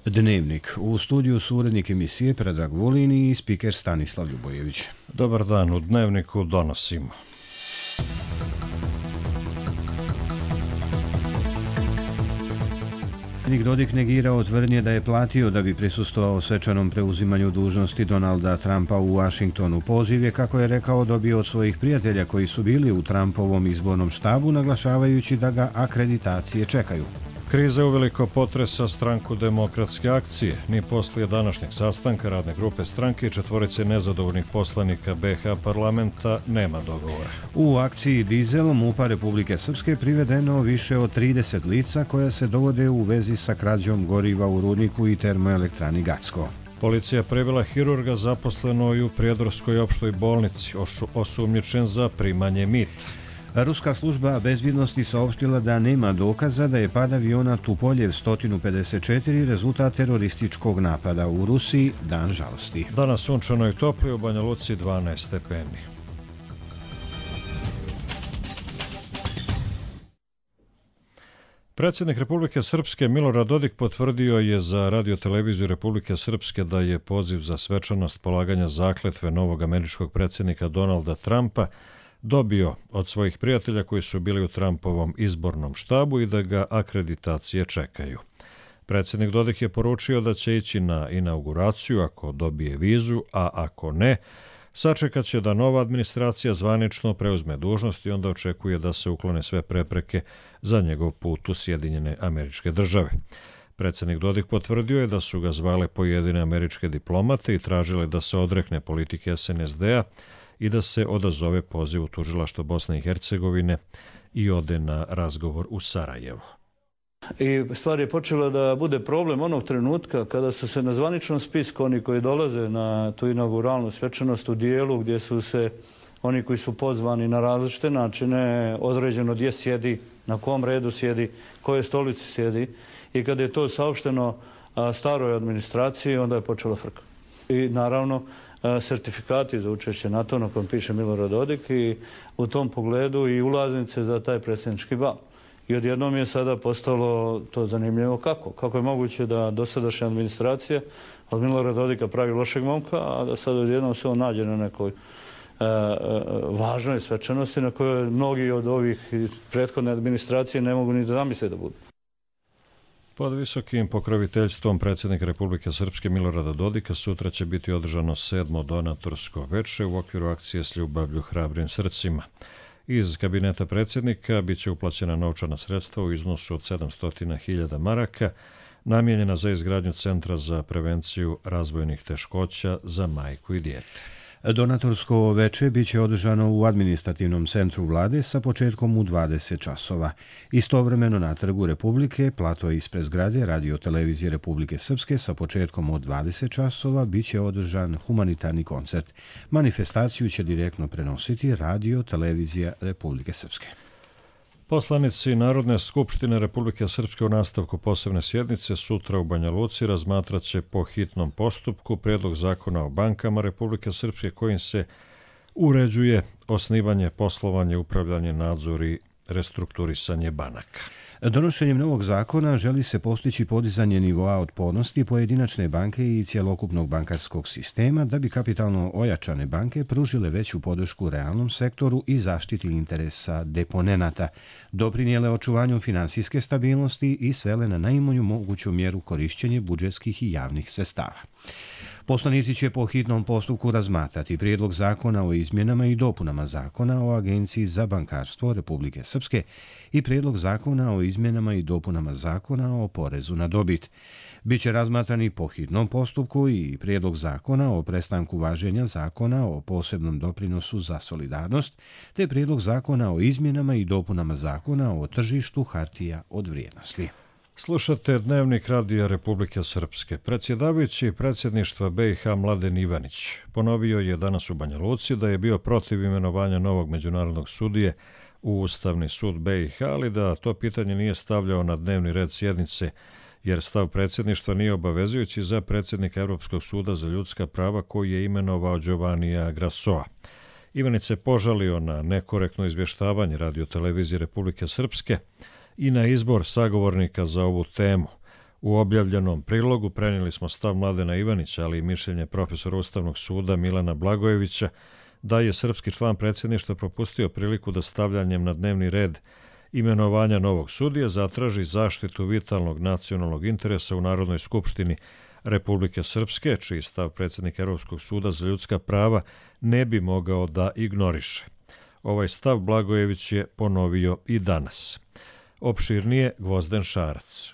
Dnevnik. U studiju su urednik emisije Predrag Vulin i spiker Stanislav Ljubojević. Dobar dan, u Dnevniku donosimo. Predsjednik Dodik negirao tvrdnje da je platio da bi prisustvovao svečanom preuzimanju dužnosti Donalda Trumpa u Washingtonu. Poziv je, kako je rekao, dobio od svojih prijatelja koji su bili u Trumpovom izbornom štabu, naglašavajući da ga akreditacije čekaju. Kriza uveliko potresa stranku Demokratske akcije. Ni poslije današnjeg sastanka radne grupe stranke i četvorice nezadovoljnih poslanika BiH parlamenta nema dogovora. U akciji Dizel MUP-a Republike Srpske privedeno više od 30 lica koja se dovode u vezi sa krađom goriva u rudniku i termoelektrani Gacko. Policija privela hirurga zaposlenoj u Prijedorskoj opštoj bolnici, osumnjičen za primanje mita. Ruska služba bezbjednosti saopštila da nema dokaza da je pad aviona Tupoljev 154 rezultat terorističkog napada u Rusiji, dan žalosti. Danas sunčano i toplo, u Banja Luci 12 stepeni. Predsjednik Republike Srpske Milorad Dodik potvrdio je za radioteleviziju Republike Srpske da je poziv za svečanost polaganja zakletve novog američkog predsjednika Donalda Trumpa dobio od svojih prijatelja koji su bili u Trumpovom izbornom štabu i da ga akreditacije čekaju. Predsjednik Dodik je poručio da će ići na inauguraciju ako dobije vizu, a ako ne, sačekat će da nova administracija zvanično preuzme dužnost i onda očekuje da se uklone sve prepreke za njegov put u Sjedinjene Američke Države. Predsjednik Dodik potvrdio je da su ga zvale pojedine američke diplomate i tražile da se odrekne politike SNSD-a i da se odazove pozivu tužilaštva Bosne i Hercegovine i ode na razgovor u Sarajevo. I stvar je počela da bude problem onog trenutka kada su se na zvaničnom spisku oni koji dolaze na tu inauguralnu svečanost u dijelu gdje su se oni koji su pozvani na različite načine određeno gdje sjedi, na kom redu sjedi, koje stolici sjedi i kada je to saopšteno staroj administraciji, onda je počela frka. I naravno sertifikati za učešće na to na kojem piše Milorad Dodik i u tom pogledu i ulaznice za taj predsjednički bal. I odjednom je sada postalo to zanimljivo kako je moguće da dosadašnja administracija od Milorada Dodika pravi lošeg momka, a da sad odjednom se on nađe na nekoj važnoj svečanosti na kojoj mnogi od ovih prethodne administracije ne mogu ni da zamisle da budu. Pod visokim pokroviteljstvom predsjednika Republike Srpske Milorada Dodika sutra će biti održano 7. donatorsko veče u okviru akcije S ljubavlju hrabrim srcima. Iz kabineta predsjednika bit će uplaćena novčana sredstva u iznosu od 700.000 maraka, namijenjena za izgradnju Centra za prevenciju razvojnih teškoća za majku i dijete. Donatorsko veče biće održano u administrativnom centru vlade sa početkom u 20 časova. Istovremeno na Trgu Republike, plato ispred zgrade radiotelevizije Republike Srpske sa početkom od 20 časova biće održan humanitarni koncert. Manifestaciju će direktno prenositi radiotelevizija Republike Srpske. Poslanici Narodne skupštine Republike Srpske u nastavku posebne sjednice sutra u Banja Luci razmatrat će po hitnom postupku prijedlog zakona o bankama Republike Srpske kojim se uređuje osnivanje, poslovanje, upravljanje, nadzor i restrukturisanje banaka. Donošenjem novog zakona želi se postići podizanje nivoa otpornosti pojedinačne banke i cjelokupnog bankarskog sistema da bi kapitalno ojačane banke pružile veću podršku realnom sektoru i zaštiti interesa deponenata, doprinijele očuvanju finansijske stabilnosti i svele na najmanju moguću mjeru korišćenje budžetskih i javnih sredstava. Poslanici će po hitnom postupku razmatrati prijedlog zakona o izmjenama i dopunama zakona o Agenciji za bankarstvo Republike Srpske i prijedlog zakona o izmjenama i dopunama zakona o porezu na dobit. Biće razmatrani po hitnom postupku i prijedlog zakona o prestanku važenja zakona o posebnom doprinosu za solidarnost, te prijedlog zakona o izmjenama i dopunama zakona o tržištu hartija od vrijednosti. Slušate Dnevnik Radija Republike Srpske. Predsjedavajući predsjedništva BiH Mladen Ivanić ponovio je danas u Banja Luci da je bio protiv imenovanja novog međunarodnog sudije u Ustavni sud BiH, ali da to pitanje nije stavljao na dnevni red sjednice, jer stav predsjedništva nije obavezujući za predsjednika Europskog suda za ljudska prava koji je imenovao Giovannija Grassoa. Ivanić se požalio na nekorektno izvještavanje radiotelevizije Republike Srpske i na izbor sagovornika za ovu temu. U objavljenom prilogu prenijeli smo stav Mladena Ivanića, ali i mišljenje profesora Ustavnog suda Milana Blagojevića da je srpski član predsjedništva propustio priliku da stavljanjem na dnevni red imenovanja novog sudije zatraži zaštitu vitalnog nacionalnog interesa u Narodnoj skupštini Republike Srpske, čiji stav predsjednik Evropskog suda za ljudska prava ne bi mogao da ignoriše. Ovaj stav Blagojević je ponovio i danas. Opširnije Gvozden Šarac.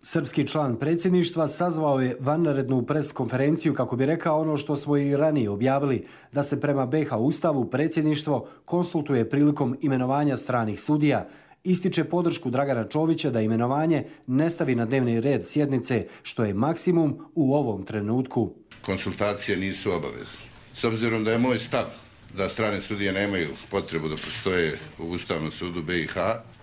Srpski član predsjedništva sazvao je vanrednu pres konferenciju kako bi rekao ono što smo i ranije objavili, da se prema BiH Ustavu predsjedništvo konsultuje prilikom imenovanja stranih sudija, ističe podršku Dragana Čovića da imenovanje ne stavi na dnevni red sjednice, što je maksimum u ovom trenutku. Konsultacije nisu obavezne. S obzirom da je moj stav da strane sudije nemaju potrebu da postoje u Ustavnom sudu BiH,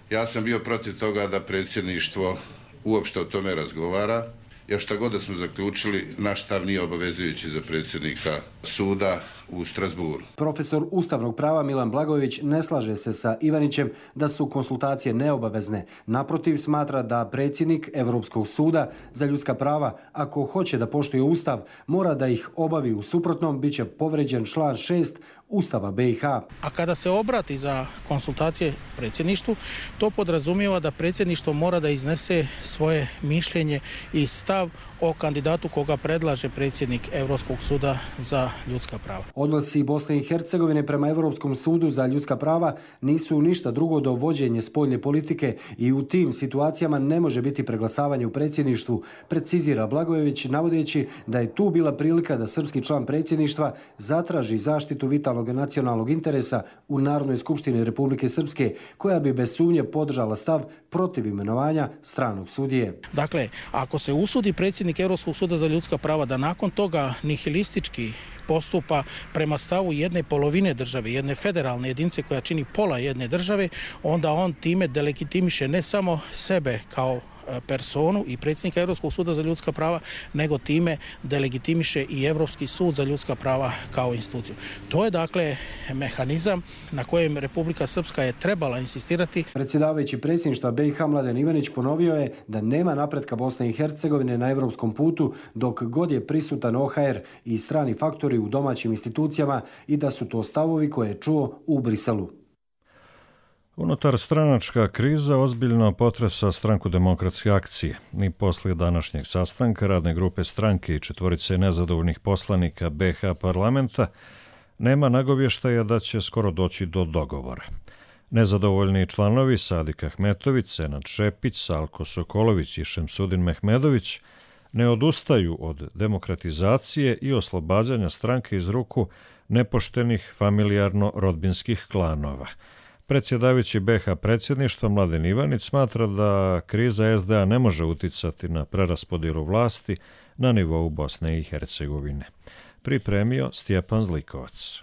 ja sam bio protiv toga da predsjedništvo uopšte o tome razgovara, jer šta god da smo zaključili, naš stav nije obavezujući za predsjednika suda u Strasburu. Profesor ustavnog prava Milan Blagojević ne slaže se sa Ivanićem da su konsultacije neobavezne. Naprotiv, smatra da predsjednik Evropskog suda za ljudska prava, ako hoće da poštuje Ustav, mora da ih obavi, u suprotnom bit će povređen član 6 Ustava BiH. A kada se obrati za konsultacije predsjedništvu, to podrazumijeva da predsjedništvo mora da iznese svoje mišljenje i stav o kandidatu koga predlaže predsjednik Evropskog suda za ljudska prava. Odnosi Bosne i Hercegovine prema Evropskom sudu za ljudska prava nisu ništa drugo do vođenje spoljne politike i u tim situacijama ne može biti preglasavanje u predsjedništvu, precizira Blagojević, navodeći da je tu bila prilika da srpski član predsjedništva zatraži zaštitu vitalnog nacionalnog interesa u Narodnoj skupštini Republike Srpske, koja bi bez sumnje podržala stav protiv imenovanja stranog sudije. Dakle, ako se usudi predsjednik Evropskog suda za ljudska prava da nakon toga nihilistički postupa prema stavu jedne polovine države, jedne federalne jedinice koja čini pola jedne države, onda on time delegitimiše ne samo sebe kao personu i predsjednika Evropskog suda za ljudska prava, nego time delegitimiše i Evropski sud za ljudska prava kao instituciju. To je dakle mehanizam na kojem Republika Srpska je trebala insistirati. Predsjedavajući predsjedništva BiH Mladen Ivanić ponovio je da nema napretka Bosne i Hercegovine na evropskom putu dok god je prisutan OHR i strani faktori u domaćim institucijama i da su to stavovi koje je čuo u Briselu. Unutar stranačka kriza ozbiljno potresa Stranku demokratske akcije. I poslije današnjeg sastanka radne grupe stranke i četvorice nezadovoljnih poslanika BiH parlamenta nema nagovještaja da će skoro doći do dogovora. Nezadovoljni članovi Sadik Ahmetović, Senad Šepić, Salko Sokolović i Šemsudin Mehmedović ne odustaju od demokratizacije i oslobađanja stranke iz ruku nepoštenih familijarno-rodbinskih klanova. Predsjedavajući BiH predsjedništva Mladen Ivanić smatra da kriza SDA ne može uticati na preraspodjelu vlasti na nivou Bosne i Hercegovine. Pripremio Stjepan Zlikovac.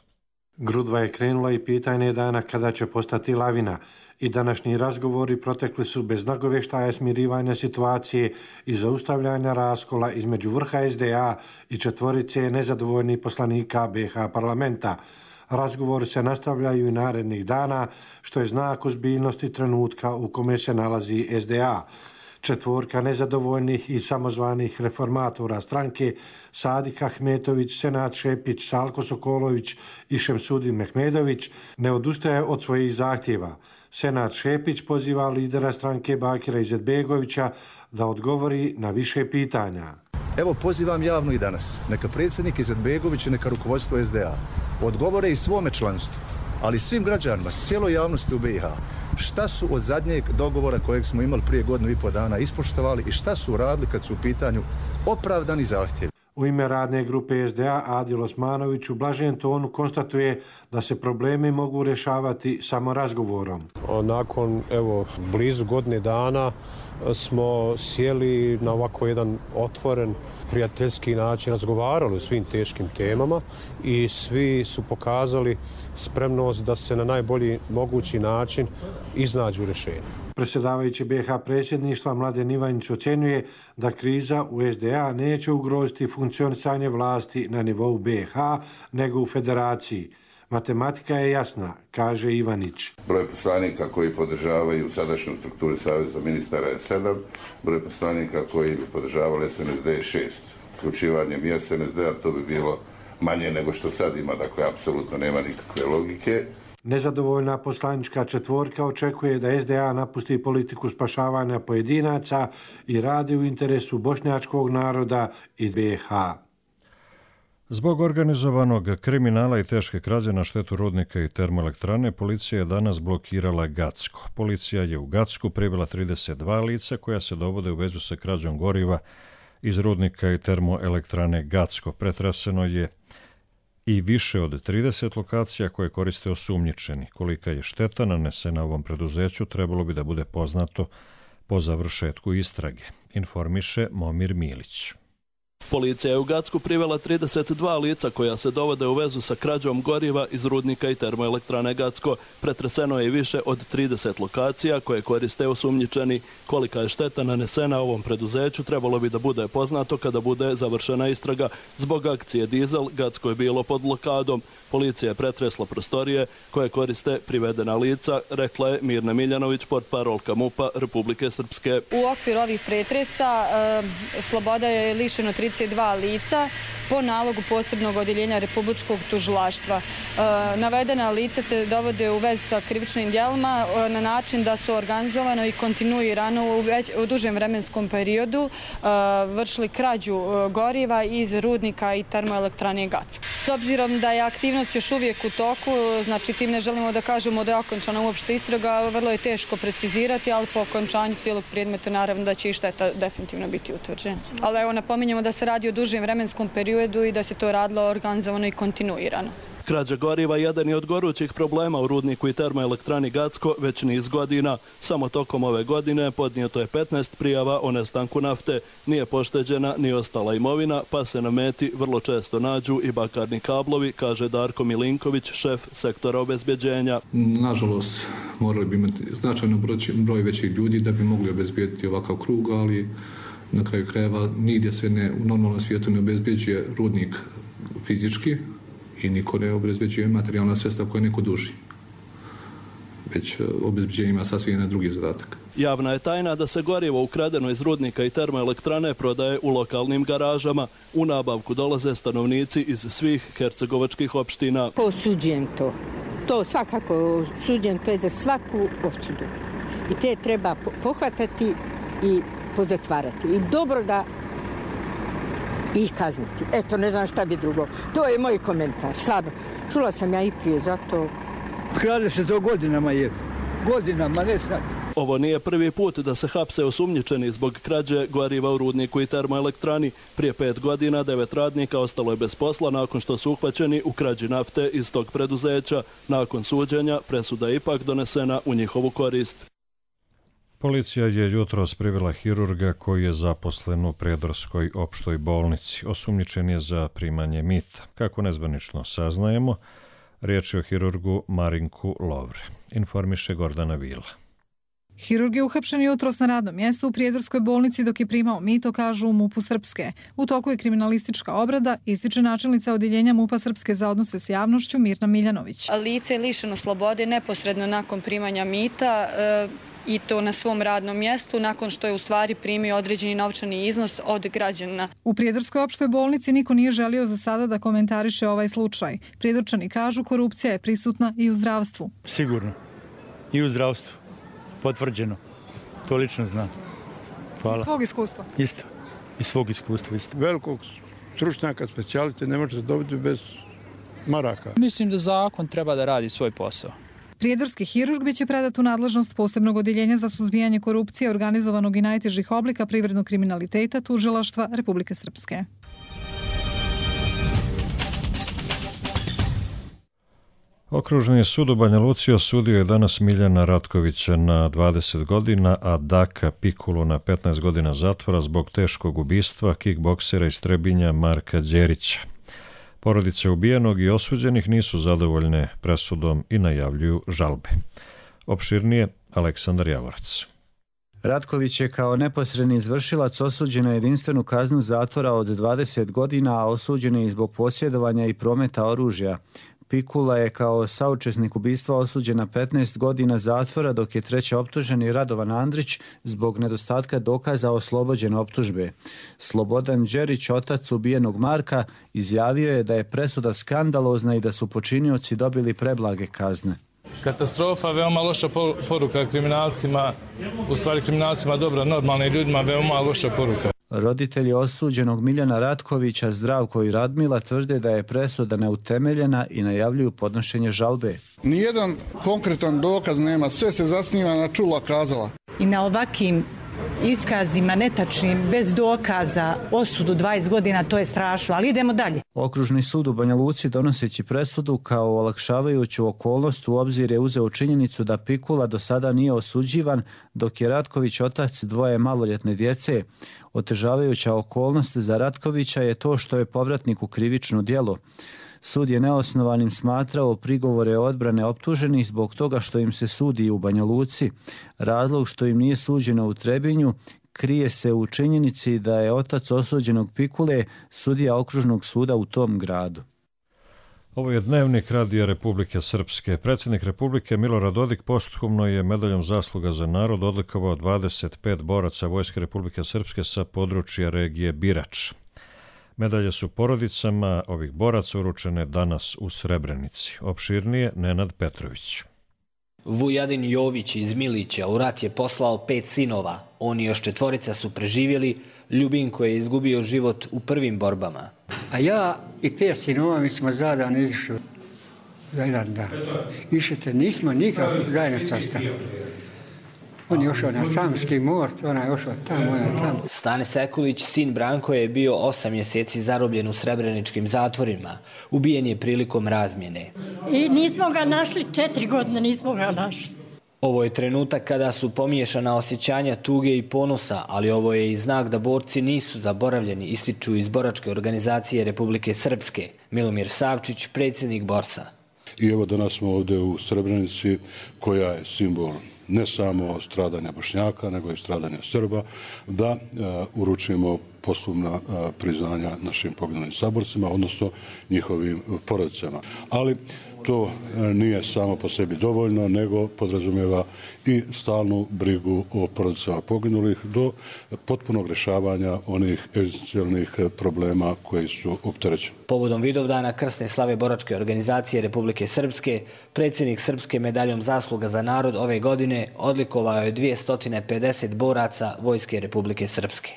Grudva je krenula i pitanje dana kada će postati lavina i današnji razgovori protekli su bez nagovještaja smirivanja situacije i zaustavljanja raskola između vrha SDA i četvorice nezadovoljnih poslanika BiH parlamenta. Razgovori se nastavljaju i narednih dana, što je znak ozbiljnosti trenutka u kome se nalazi SDA. Četvorka nezadovoljnih i samozvanih reformatora stranke, Sadik Ahmetović, Senad Šepić, Salko Sokolović i Šemsudin Mehmedović, ne odustaje od svojih zahtjeva. Senad Šepić poziva lidera stranke Bakira Izetbegovića da odgovori na više pitanja. Evo, pozivam javno i danas, neka predsjednik Izetbegović i neka rukovodstvo SDA odgovore i svome članstvu, ali svim građanima, cijeloj javnosti u BiH, šta su od zadnjeg dogovora kojeg smo imali prije 1,5 dana ispoštovali i šta su uradili kad su u pitanju opravdani zahtjevi. U ime radne grupe SDA Adil Osmanović u blažem tonu konstatuje da se problemi mogu rješavati samo razgovorom. Nakon blizu godine dana smo sjeli na ovako jedan otvoren, prijateljski način, razgovarali o svim teškim temama i svi su pokazali spremnost da se na najbolji mogući način iznađu rješenja. Predsjedavajući BiH predsjedništva Mladen Ivanić ocjenjuje da kriza u SDA neće ugroziti funkcionisanje vlasti na nivou BiH nego u federaciji. Matematika je jasna, kaže Ivanić. Broj poslanika koji podržavaju sadašnju strukturu Saveza ministara je 7, broj poslanika koji bi podržavali SNSD je 6. Uključivanjem i SNSD-a to bi bilo manje nego što sad ima, dakle apsolutno nema nikakve logike. Nezadovoljna poslanička četvorka očekuje da SDA napusti politiku spašavanja pojedinaca i radi u interesu bošnjačkog naroda i BiH. Zbog organizovanog kriminala i teške krađe na štetu rudnika i termoelektrane, policija je danas blokirala Gacko. Policija je u Gacku privela 32 lica koja se dovode u vezu sa krađom goriva iz rudnika i termoelektrane Gacko. Pretreseno je i više od 30 lokacija koje koriste osumnjičeni. Kolika je šteta nanesena ovom preduzeću trebalo bi da bude poznato po završetku istrage, informiše Momir Milić. Policija je u Gacku privela 32 lica koja se dovode u vezu sa krađom goriva iz rudnika i termoelektrane Gacko. Pretreseno je i više od 30 lokacija koje koriste osumnjičeni. Kolika je šteta nanesena ovom preduzeću trebalo bi da bude poznato kada bude završena istraga. Zbog akcije Dizel, Gacko je bilo pod blokadom. Policija je pretresla prostorije koje koriste privedena lica, rekla je Mirna Miljanović, portparolka MUP-a Republike Srpske. U okviru ovih pretresa sloboda je lišeno 32 lica po nalogu posebnog odjeljenja Republičkog tužilaštva. Navedena lica se dovode u vez sa krivičnim djelima na način da su organizovano i kontinuirano u dužem vremenskom periodu vršili krađu goriva iz rudnika i termoelektrane Gacko. S obzirom da je aktivnost još uvijek u toku, znači tim ne želimo da kažemo da je okončana uopšte istraga, vrlo je teško precizirati, ali po okončanju cijelog predmeta naravno da će i šteta definitivno biti utvrđena. Ali evo napominjemo da se radi o dužem vremenskom periodu i da se to radilo organizovano i kontinuirano. Krađa goriva jedan je od gorućih problema u rudniku i termoelektrani Gacko već niz godina. Samo tokom ove godine podnijeto je 15 prijava o nestanku nafte. Nije pošteđena ni ostala imovina, pa se na meti vrlo često nađu i bakarni kablovi, kaže Darko Milinković, šef sektora obezbeđenja. Nažalost, morali bi imati značajno broj većih ljudi da bi mogli obezbediti ovakav krug, ali na kraju krajeva nigdje se u normalnom svijetu ne obezbeđuje rudnik fizički i niko ne obezbeđuje materijalna sredstva koje neko duži. Već obezbeđenje ima sasvim jedan drugi zadatak. Javna je tajna da se gorivo ukradeno iz rudnika i termoelektrane prodaje u lokalnim garažama. U nabavku dolaze stanovnici iz svih hercegovačkih opština. Osuđujem to. To svakako osuđujem, to je za svaku osudu. I te treba pohvatati i pozatvarati. I dobro da ih kazniti. Eto, ne znam šta bi drugo. To je moj komentar. Slabo. Čula sam ja i prije, zato... Krade se to godinama je. Godinama, ne sad. Ovo nije prvi put da se hapse osumnjičeni zbog krađe goriva u rudniku i termoelektrani. Prije 5 godina 9 radnika ostalo je bez posla nakon što su uhvaćeni u krađi nafte iz tog preduzeća. Nakon suđenja presuda je ipak donesena u njihovu korist. Policija je jutros privela hirurga koji je zaposlen u Prijedorskoj opštoj bolnici. Osumnjičen je za primanje mita. Kako nezvanično saznajemo, riječ je o hirurgu Marinku Lovre, informiše Gordana Vila. Hirurg je uhapšen jutros na radnom mjestu u Prijedorskoj bolnici dok je primao mito, kažu u MUP-u Srpske. U toku je kriminalistička obrada, ističe načelnica odjeljenja MUP-a Srpske za odnose s javnošću Mirna Miljanović. Lice je lišeno slobode neposredno nakon primanja mita i to na svom radnom mjestu nakon što je u stvari primio određeni novčani iznos od građana. U Prijedorskoj opštoj bolnici niko nije želio za sada da komentariše ovaj slučaj. Prijedorčani kažu korupcija je prisutna i u zdravstvu. Sigurno. I u zdravstvu. Potvrđeno. To lično znam. Hvala. Iz svog iskustva? Isto. Iz svog iskustva isto. Velikog stručnjaka, specijalite ne možete dobiti bez maraka. Mislim da zakon treba da radi svoj posao. Prijedorski hirurg biće predat u nadležnost posebnog odjeljenja za suzbijanje korupcije, organizovanog i najtežih oblika privrednog kriminaliteta tužilaštva Republike Srpske. Okružni sud u Banja Luci osudio je danas Miljana Ratkovića na 20 godina, a Daka Pikulu na 15 godina zatvora zbog teškog ubistva kikboksera iz Trebinja Marka Đerića. Porodice ubijenog i osuđenih nisu zadovoljne presudom i najavljuju žalbe. Opširnije, Aleksandar Javorac. Ratković je kao neposredni izvršilac osuđen na jedinstvenu kaznu zatvora od 20 godina, a osuđen je i zbog posjedovanja i prometa oružja. Pikula je kao saučesnik ubistva osuđen na 15 godina zatvora, dok je treći optuženi Radovan Andrić zbog nedostatka dokaza oslobođen optužbe. Slobodan Đerić, otac ubijenog Marka, izjavio je da je presuda skandalozna i da su počinioci dobili preblage kazne. Katastrofa, veoma loša poruka kriminalcima, u stvari kriminalcima dobro, normalnim ljudima veoma loša poruka. Roditelji osuđenog Miljana Ratkovića, Zdravko i Radmila, tvrde da je presuda neutemeljena i najavljuju podnošenje žalbe. Nijedan konkretan dokaz nema, sve se zasniva na čula kazala. I na ovakvim iskazima netačnim, bez dokaza, osudu 20 godina, to je strašno, ali idemo dalje. Okružni sud u Banja Luci, donoseći presudu kao olakšavajuću okolnost, u obzir je uzeo činjenicu da Pikula do sada nije osuđivan, dok je Ratković otac dvoje maloljetne djece. Otežavajuća okolnost za Ratkovića je to što je povratnik u krivično djelo. Sud je neosnovanim smatrao prigovore odbrane optuženih zbog toga što im se sudi u Banja Luci. Razlog što im nije suđeno u Trebinju krije se u činjenici da je otac osuđenog Pikule sudija okružnog suda u tom gradu. Ovo je Dnevnik Radija Republike Srpske. Predsjednik Republike Milorad Dodik posthumno je medaljom zasluga za narod odlikovao 25 boraca Vojske Republike Srpske sa područja regije Birač. Medalje su porodicama ovih boraca uručene danas u Srebrenici. Opširnije Nenad Petrović. Vujadin Jović iz Milića u rat je poslao 5 sinova. Oni još 4 su preživjeli. Ljubinko je izgubio život u prvim borbama. A ja i 5 sinova mi smo zajedno izišli za jedan dan. Išete, nismo nikako zajedno sastavili. On je ošao na Samski most, ona je ošao tamo, ona je tamo. Stane Sekulić, sin Branko, je bio 8 mjeseci zarobljen u srebreničkim zatvorima. Ubijen je prilikom razmjene. I nismo ga našli, 4 godine nismo ga našli. Ovo je trenutak kada su pomiješana osjećanja tuge i ponosa, ali ovo je i znak da borci nisu zaboravljeni, ističu iz boračke organizacije Republike Srpske. Milomir Savčić, predsjednik Borsa. I evo danas smo ovdje u Srebrenici, koja je simbol ne samo stradanja Bošnjaka, nego i stradanja Srba, da uručimo posthumna priznanja našim poginulim saborcima, odnosno njihovim porodicama. Ali to nije samo po sebi dovoljno, nego podrazumijeva i stalnu brigu o porodicama poginulih do potpunog rješavanja onih egzistencijalnih problema koji su opterećeni. Povodom Vidovdana krsne slave boračke organizacije Republike Srpske, predsjednik Srpske medaljom zasluga za narod ove godine odlikovao je 250 boraca Vojske Republike Srpske.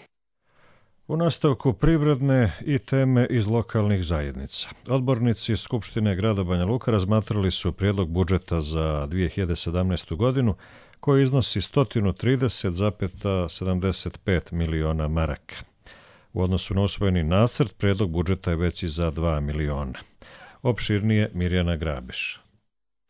U nastavku privredne i teme iz lokalnih zajednica. Odbornici Skupštine grada Banja Luka razmatrali su prijedlog budžeta za 2017. godinu koji iznosi 130,75 miliona maraka. U odnosu na usvojeni nacrt, prijedlog budžeta je veći za 2 miliona. Opširnije Mirjana Grabiš.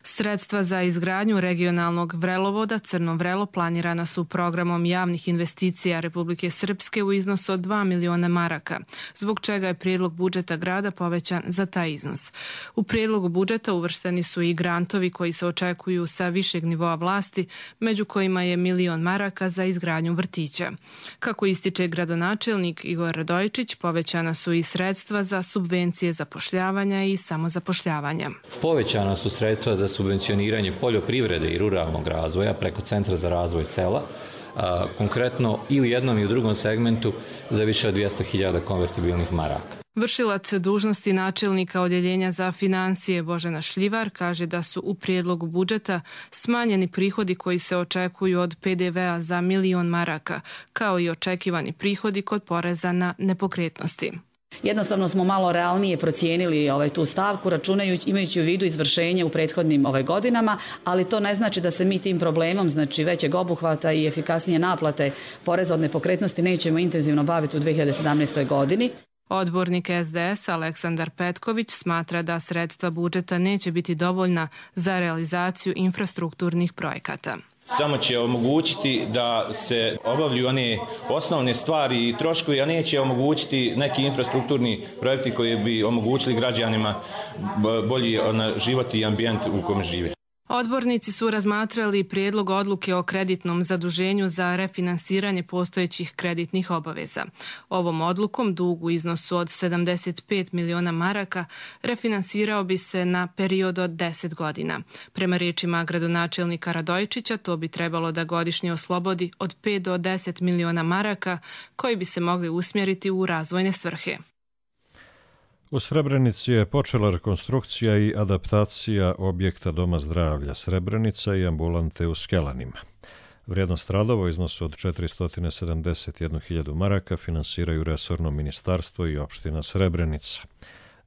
Sredstva za izgradnju regionalnog vrelovoda Crno Vrelo planirana su programom javnih investicija Republike Srpske u iznosu od 2 miliona maraka, zbog čega je prijedlog budžeta grada povećan za taj iznos. U prijedlogu budžeta uvršteni su i grantovi koji se očekuju sa višeg nivoa vlasti, među kojima je 1 milion maraka za izgradnju vrtića. Kako ističe gradonačelnik Igor Radojičić, povećana su i sredstva za subvencije zapošljavanja i samozapošljavanja. Povećana su sredstva za subvencioniranje poljoprivrede i ruralnog razvoja preko Centra za razvoj sela, konkretno i u jednom i u drugom segmentu za više od 200.000 konvertibilnih maraka. Vršilac dužnosti načelnika odjeljenja za financije Božena Šljivar kaže da su u prijedlogu budžeta smanjeni prihodi koji se očekuju od PDV-a za 1 milion maraka, kao i očekivani prihodi kod poreza na nepokretnosti. Jednostavno smo malo realnije procijenili tu stavku, imajući u vidu izvršenje u prethodnim godinama, ali to ne znači da se mi tim problemom, znači većeg obuhvata i efikasnije naplate poreza od nepokretnosti nećemo intenzivno baviti u 2017. godini. Odbornik SDS Aleksandar Petković smatra da sredstva budžeta neće biti dovoljna za realizaciju infrastrukturnih projekata. Samo će omogućiti da se obavljuju one osnovne stvari i troškovi, a neće omogućiti neki infrastrukturni projekti koji bi omogućili građanima bolji život i ambijent u kojem žive. Odbornici su razmatrali prijedlog odluke o kreditnom zaduženju za refinansiranje postojećih kreditnih obaveza. Ovom odlukom dug u iznosu od 75 miliona maraka refinansirao bi se na period od 10 godina. Prema riječima gradonačelnika Radojčića, to bi trebalo da godišnje oslobodi od 5 do 10 miliona maraka koji bi se mogli usmjeriti u razvojne svrhe. U Srebrenici je počela rekonstrukcija i adaptacija objekta Doma zdravlja Srebrenica i ambulante u Skelanima. Vrijednost radova u iznosu od 471.000 maraka finansiraju resorno ministarstvo i opština Srebrenica.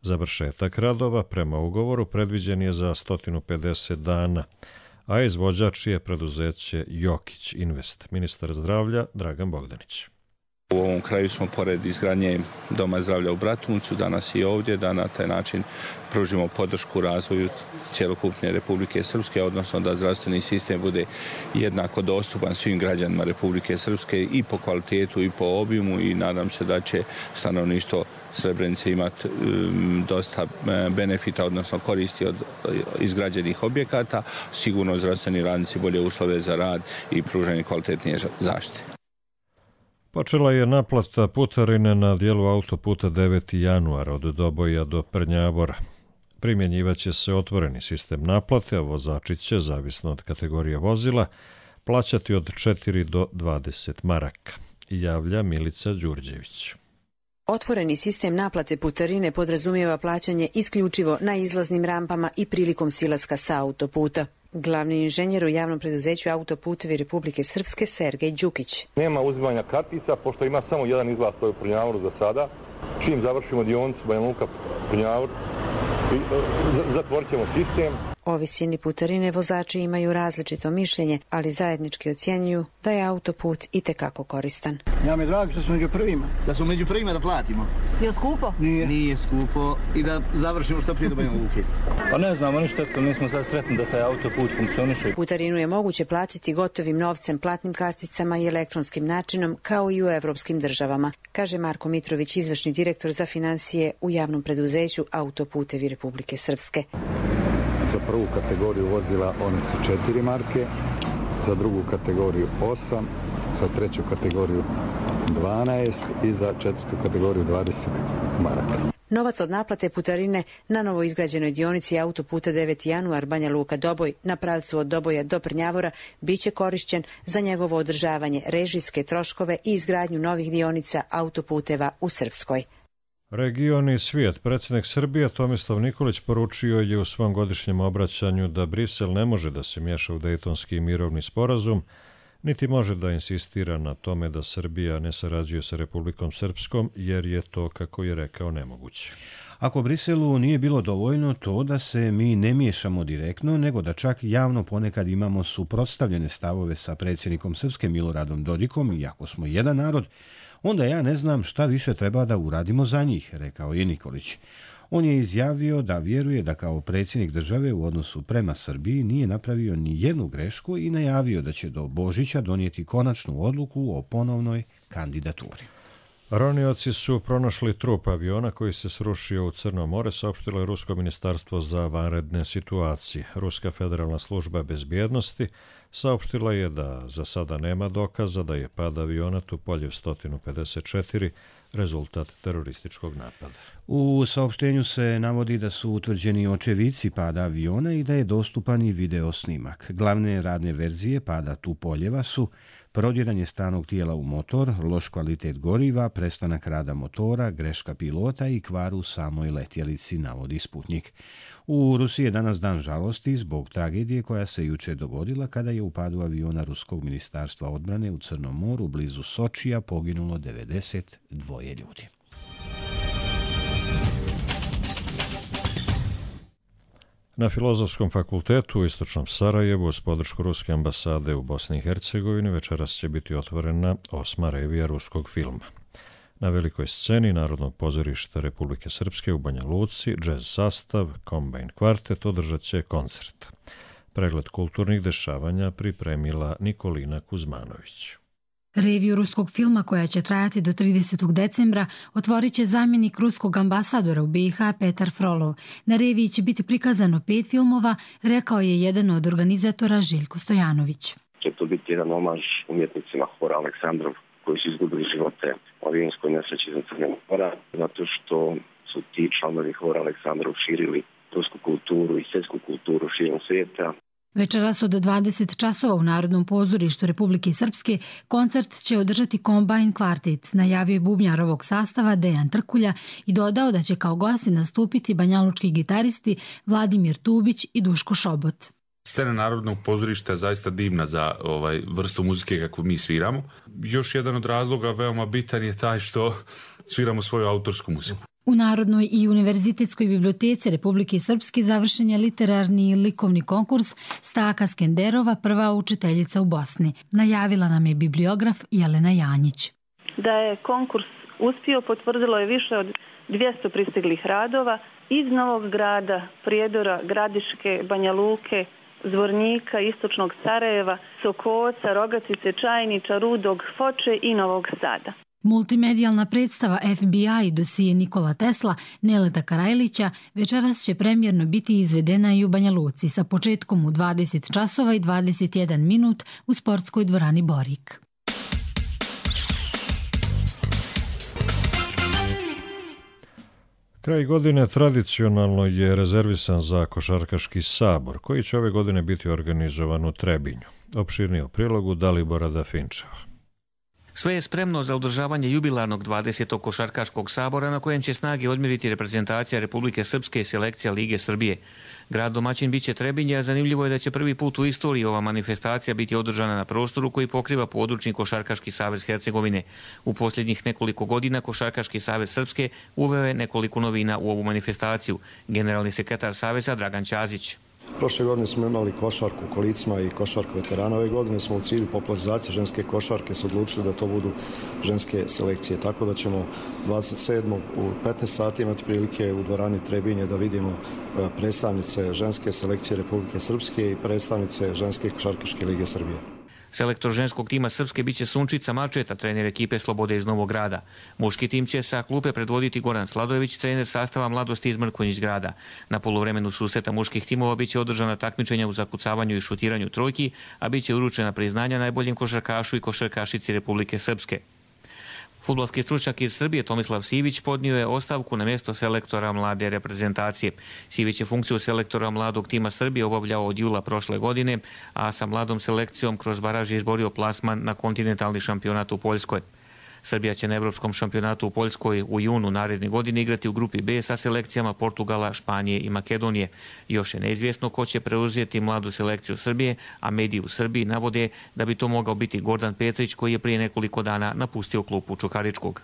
Završetak radova prema ugovoru predviđen je za 150 dana, a izvođač je preduzeće Jokić Invest. Ministar zdravlja Dragan Bogdanić. U ovom kraju smo pored izgradnje Doma zdravlja u Bratuncu, danas i ovdje, da na taj način pružimo podršku razvoju cjelokupne Republike Srpske, odnosno da zdravstveni sistem bude jednako dostupan svim građanima Republike Srpske i po kvalitetu i po obimu, i nadam se da će stanovništvo Srebrenice imati dosta benefita, odnosno koristi od izgrađenih objekata, sigurno zdravstveni radnici bolje uslove za rad i pružanje kvalitetnije zaštite. Počela je naplata putarine na dijelu autoputa 9. januar od Doboja do Prnjavora. Primjenjivaće se otvoreni sistem naplate, a vozači će, zavisno od kategorije vozila, plaćati od 4 do 20 maraka, javlja Milica Đurđević. Otvoreni sistem naplate putarine podrazumijeva plaćanje isključivo na izlaznim rampama i prilikom silaska sa autoputa. Glavni inženjer u javnom preduzeću Autoputevi Republike Srpske Sergej Đukić. Nema uzimanja kartica, pošto ima samo jedan izlaz, to je u Prnjavoru za sada. Čim završimo dionicu Banja Luka Prnjavor, zatvorit ćemo sistem. O visini putarine vozači imaju različito mišljenje, ali zajednički ocjenjuju da je autoput itekako koristan. Ja mi drago što smo među prvima, da smo među prvima da platimo. Je skupo? Nije skupo, i da završimo što prije do Banja Luke. Pa ne znamo ništa, nismo sad sretni da taj autoput funkcioniše. Putarinu je moguće platiti gotovim novcem, platnim karticama i elektronskim načinom, kao i u evropskim državama, kaže Marko Mitrović, izvršni direktor za financije u javnom preduzeću Autoputevi Republike Srpske. Za prvu kategoriju vozila one su 4 marke, za drugu kategoriju 8, za treću kategoriju 12 i za četvrtu kategoriju 20 maraka. Novac od naplate putarine na novo izgrađenoj dionici autoputa 9. januar Banja Luka Doboj na pravcu od Doboja do Prnjavora biće korišćen za njegovo održavanje, režijske troškove i izgradnju novih dionica autoputeva u Srpskoj. Region i svijet. Predsjednik Srbije Tomislav Nikolić poručio je u svom godišnjem obraćanju da Brisel ne može da se miješa u Dejtonski mirovni sporazum, niti može da insistira na tome da Srbija ne sarađuje sa Republikom Srpskom, jer je to, kako je rekao, nemoguće. Ako Briselu nije bilo dovoljno to da se mi ne miješamo direktno, nego da čak javno ponekad imamo suprotstavljene stavove sa predsjednikom Srpske Miloradom Dodikom, iako smo jedan narod, onda ja ne znam šta više treba da uradimo za njih, rekao je Nikolić. On je izjavio da vjeruje da kao predsjednik države u odnosu prema Srbiji nije napravio ni jednu grešku i najavio da će do Božića donijeti konačnu odluku o ponovnoj kandidaturi. Ronioci su pronašli trup aviona koji se srušio u Crno more, saopštilo je Rusko ministarstvo za vanredne situacije. Ruska federalna služba bezbjednosti saopštila je da za sada nema dokaza da je pad aviona Tupoljev 154 rezultat terorističkog napada. U saopštenju se navodi da su utvrđeni očevici pada aviona i da je dostupan i video snimak. Glavne radne verzije pada Tupoljeva su prodiranje stranog tijela u motor, loš kvalitet goriva, prestanak rada motora, greška pilota i kvar u samoj letjelici, navodi Sputnik. U Rusiji je danas dan žalosti zbog tragedije koja se juče dogodila kada je u padu aviona Ruskog ministarstva odbrane u Crnom moru blizu Sočija poginulo 92 ljudi. Na Filozofskom fakultetu u Istočnom Sarajevu uz podršku Ruske ambasade u Bosni i Hercegovini večeras će biti otvorena 8. revija ruskog filma. Na velikoj sceni Narodnog pozorišta Republike Srpske u Banja Luci džez sastav Combine Quartet održat će koncert. Pregled kulturnih dešavanja pripremila Nikolina Kuzmanović. Reviju ruskog filma, koja će trajati do 30. decembra, otvorit će zamjenik ruskog ambasadora u BiH Petar Frolov. Na reviji će biti prikazano 5 filmova, rekao je jedan od organizatora Željko Stojanović. Će to biti jedan omaž umjetnicima Hora Aleksandrov koji su izgubili živote u avionskoj nesreći za Crne Mora, zato što su ti članovi Hora Aleksandrov širili rusku kulturu i svjetsku kulturu širom svijeta. Večeras od 20 časova u Narodnom pozorištu Republike Srpske koncert će održati Combine Quartet, najavio je bubnjar ovog sastava Dejan Trkulja i dodao da će kao gosti nastupiti banjalučki gitaristi Vladimir Tubić i Duško Šobot. Scena Narodnog pozorišta je zaista divna za vrstu muzike kakvu mi sviramo. Još jedan od razloga veoma bitan je taj što sviramo svoju autorsku muziku. U Narodnoj i univerzitetskoj biblioteci Republike Srpske završen je literarni i likovni konkurs Staka Skenderova, prva učiteljica u Bosni. Najavila nam je bibliograf Jelena Janjić. Da je konkurs uspio potvrdilo je više od 200 pristiglih radova iz Novog Grada, Prijedora, Gradiške, Banja Luke, Zvornika, Istočnog Sarajeva, Sokoca, Rogatice, Čajniča, Rudog, Foče i Novog Sada. Multimedijalna predstava FBI dosije Nikola Tesla, Neleta Karajlića večeras će premijerno biti izvedena i u Banja Luci sa početkom u 20 časova i 21 minut u sportskoj dvorani Borik. Kraj godine tradicionalno je rezervisan za košarkaški sabor, koji će ove godine biti organizovan u Trebinju. Opširnije u prilogu Dalibora Dafinčeva. Sve je spremno za održavanje jubilarnog 20. košarkaškog sabora na kojem će snage odmjeriti reprezentacija Republike Srpske i selekcija Lige Srbije. Grad domaćin biće Trebinje, a zanimljivo je da će prvi put u istoriji ova manifestacija biti održana na prostoru koji pokriva područni Košarkaški savez Hercegovine. U posljednjih nekoliko godina Košarkaški savez Srpske uveo je nekoliko novina u ovu manifestaciju. Generalni sekretar saveza Dragan Ćazić. Prošle godine smo imali košarku u kolicima i košarku veterana. Ove godine smo u cilju popularizacije ženske košarke se odlučili da to budu ženske selekcije. Tako da ćemo 27. u 15 sati imati prilike u dvorani Trebinje da vidimo predstavnice ženske selekcije Republike Srpske i predstavnice ženske košarkaške lige Srbije. Selektor ženskog tima Srpske biće Sunčica Mačeta, trener ekipe Slobode iz Novog Grada. Muški tim će sa klupe predvoditi Goran Sladojević, trener sastava Mladosti iz Mrkonjić Grada. Na poluvremenu susreta muških timova biće održana takmičenja u zakucavanju i šutiranju trojki, a biće uručena priznanja najboljem košarkašu i košarkašici Republike Srpske. Fudbalski stručnjak iz Srbije Tomislav Sivić podnio je ostavku na mjesto selektora mlade reprezentacije. Sivić je funkciju selektora mladog tima Srbije obavljao od jula prošle godine, a sa mladom selekcijom kroz baraž je izborio plasman na kontinentalni šampionat u Poljskoj. Srbija će na Evropskom šampionatu u Poljskoj u junu naredne godine igrati u grupi B sa selekcijama Portugala, Španije i Makedonije. Još je neizvjesno ko će preuzeti mladu selekciju Srbije, a mediji u Srbiji navode da bi to mogao biti Gordan Petrić, koji je prije nekoliko dana napustio klupu Čukaričkog.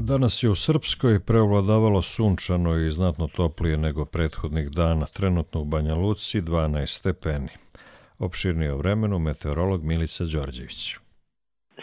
Danas je u Srpskoj preovladavalo sunčano i znatno toplije nego prethodnih dana. Trenutno u Banja Luci 12 stepeni. Opširnije o vremenu meteorolog Milica Đorđević.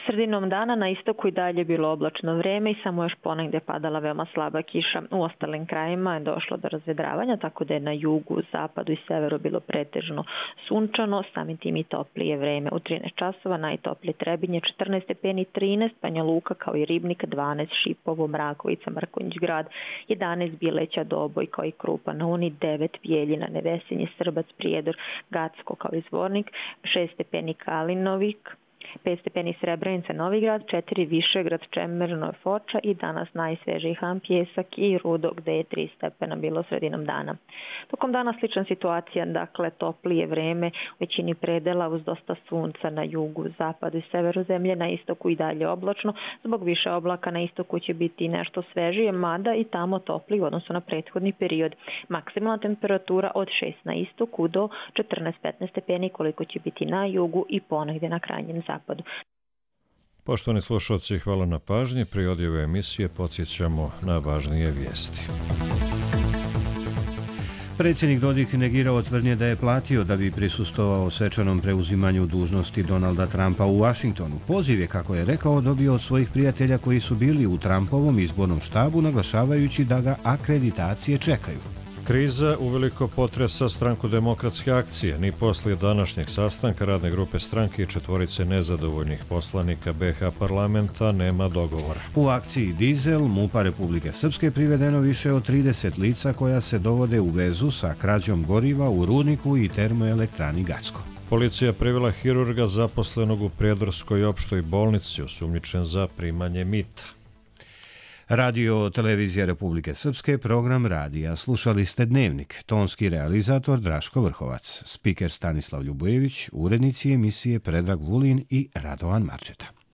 Sredinom dana na istoku i dalje bilo oblačno vreme i samo još ponegdje padala veoma slaba kiša. U ostalim krajima je došlo do razvedravanja, tako da je na jugu, zapadu i severu bilo pretežno sunčano, samim tim i toplije vreme. U 13 časova najtoplije Trebinje 14 stepeni, 13 Banja Luka kao i Ribnik, 12 Šipovo, Mrakovica, Mrkonjić Grad, 11 Bileća, Doboj kao i Krupa na Uni, 9 Bijeljina, Nevesinje, Srbac, Prijedor, Gacko kao i Zvornik, 6 stepeni Kalinovik, 5 stepeni Srebrenica, Novi Grad, 4 Višegrad, Čemerno, Foča i danas najsvežiji Han, Pjesak i Rudo, gde je 3 stepena bilo sredinom dana. Tokom dana slična situacija, dakle toplije vreme u većini predela uz dosta sunca na jugu, zapadu i severu zemlje, na istoku i dalje oblačno. Zbog više oblaka na istoku će biti nešto svežije, mada i tamo topli u odnosu na prethodni period. Maksimalna temperatura od 6 na istoku do 14-15 stepeni koliko će biti na jugu i ponegdje na krajnjem zapadu. Poštovani slušalci, hvala na pažnji. Pri odjave emisije podsjećamo na važnije vijesti. Predsjednik Dodik negirao tvrdnje da je platio da bi prisustvovao svečanom preuzimanju dužnosti Donalda Trumpa u Washingtonu. Poziv je, kako je rekao, dobio od svojih prijatelja koji su bili u Trumpovom izbornom štabu, naglašavajući da ga akreditacije čekaju. Kriza uveliko potresa stranku Demokratske akcije. Ni poslije današnjeg sastanka radne grupe stranke i četvorice nezadovoljnih poslanika BH parlamenta nema dogovora. U akciji Dizel MUP-a Republike Srpske privedeno više od 30 lica koja se dovode u vezu sa krađom goriva u rudniku i termoelektrani Gacko. Policija privela hirurga zaposlenog u Prijedorskoj opštoj bolnici, osumnjičen za primanje mita. Radio Televizija Republike Srpske, program radija. Slušali ste Dnevnik, tonski realizator Draško Vrhovac, spiker Stanislav Ljubojević, urednici emisije Predrag Vulin i Radovan Marčeta.